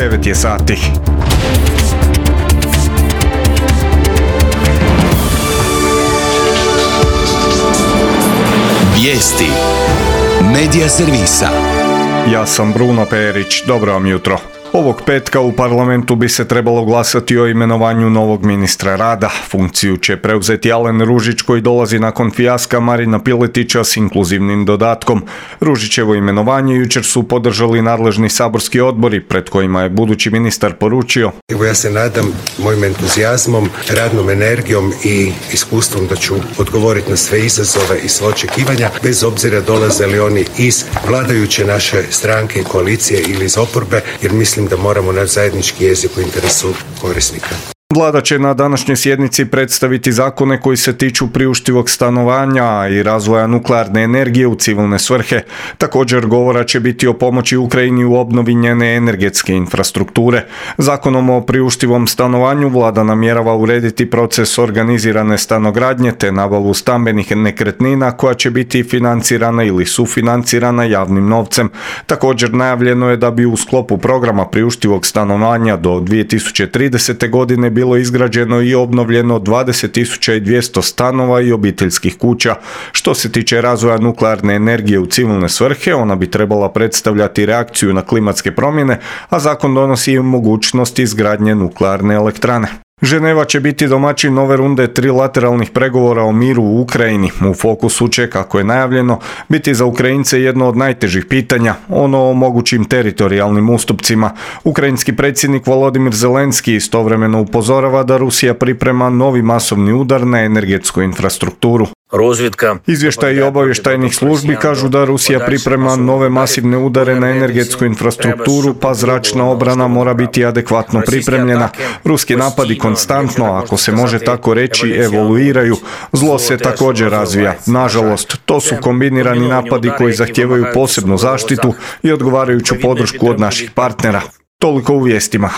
9 je sati. Vijesti Medija servisa. Ja sam Bruno Perić, dobro vam jutro. Ovog petka u parlamentu bi se trebalo glasati o imenovanju novog ministra rada. Funkciju će preuzeti Alen Ružić koji dolazi nakon fijaska Marina Piletića s inkluzivnim dodatkom. Ružićevo imenovanje jučer su podržali nadležni saborski odbori pred kojima je budući ministar poručio: Evo, ja se nadam mojim entuzijazmom, radnom energijom i iskustvom da ću odgovoriti na sve izazove i sva očekivanja, bez obzira dolaze li oni iz vladajuće naše stranke, koalicije ili iz oporbe, jer mislim da moramo naći zajednički jezik u interesu korisnika. Vlada će na današnjoj sjednici predstaviti zakone koji se tiču priuštivog stanovanja i razvoja nuklearne energije u civilne svrhe. Također govora će biti o pomoći Ukrajini u obnovi njene energetske infrastrukture. Zakonom o priuštivom stanovanju Vlada namjerava urediti proces organizirane stanogradnje te nabavu stambenih nekretnina koja će biti financirana ili sufinancirana javnim novcem. Također najavljeno je da bi u sklopu programa priuštivog stanovanja do 2030. godine bilo izgrađeno i obnovljeno 20.200 stanova i obiteljskih kuća. Što se tiče razvoja nuklearne energije u civilne svrhe, ona bi trebala predstavljati reakciju na klimatske promjene, a zakon donosi i mogućnost izgradnje nuklearne elektrane. Ženeva će biti domaćin nove runde trilateralnih pregovora o miru u Ukrajini. U fokusu će, kako je najavljeno, biti za Ukrajince jedno od najtežih pitanja, ono o mogućim teritorijalnim ustupcima. Ukrajinski predsjednik Volodimir Zelenski istovremeno upozorava da Rusija priprema novi masovni udar na energetsku infrastrukturu. Izvještaji obavještajnih službi kažu da Rusija priprema nove masivne udare na energetsku infrastrukturu, pa zračna obrana mora biti adekvatno pripremljena. Ruski napadi konstantno, ako se može tako reći, evoluiraju. Zlo se također razvija. Nažalost, to su kombinirani napadi koji zahtijevaju posebnu zaštitu i odgovarajuću podršku od naših partnera. Toliko u vijestima.